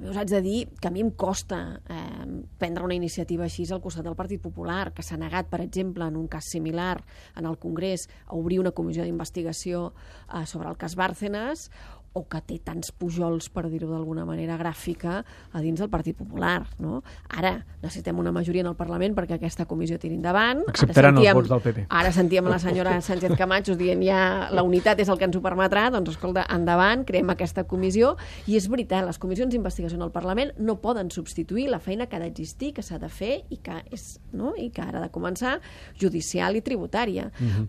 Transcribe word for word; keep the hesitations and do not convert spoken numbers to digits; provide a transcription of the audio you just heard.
també us haig de dir que a mi em costa eh, prendre una iniciativa així al costat del Partit Popular, que s'ha negat, per exemple, en un cas similar en el Congrés, a obrir una comissió d'investigació eh, sobre el cas Bárcenas, o que té tants pujols, per dir-ho d'alguna manera gràfica, a dins del Partit Popular. No? Ara necessitem una majoria en el Parlament perquè aquesta comissió tiri endavant. Acceptaran els vots del P P. Ara sentíem la senyora Sánchez Camacho dient ja la unitat és el que ens ho permetrà, doncs escolta, endavant, creem aquesta comissió, i és veritat, les comissions d'investigació en el Parlament no poden substituir la feina que ha d'existir, que s'ha de fer i que, és, no? I que ara ha de començar, judicial i tributària. Uh-huh.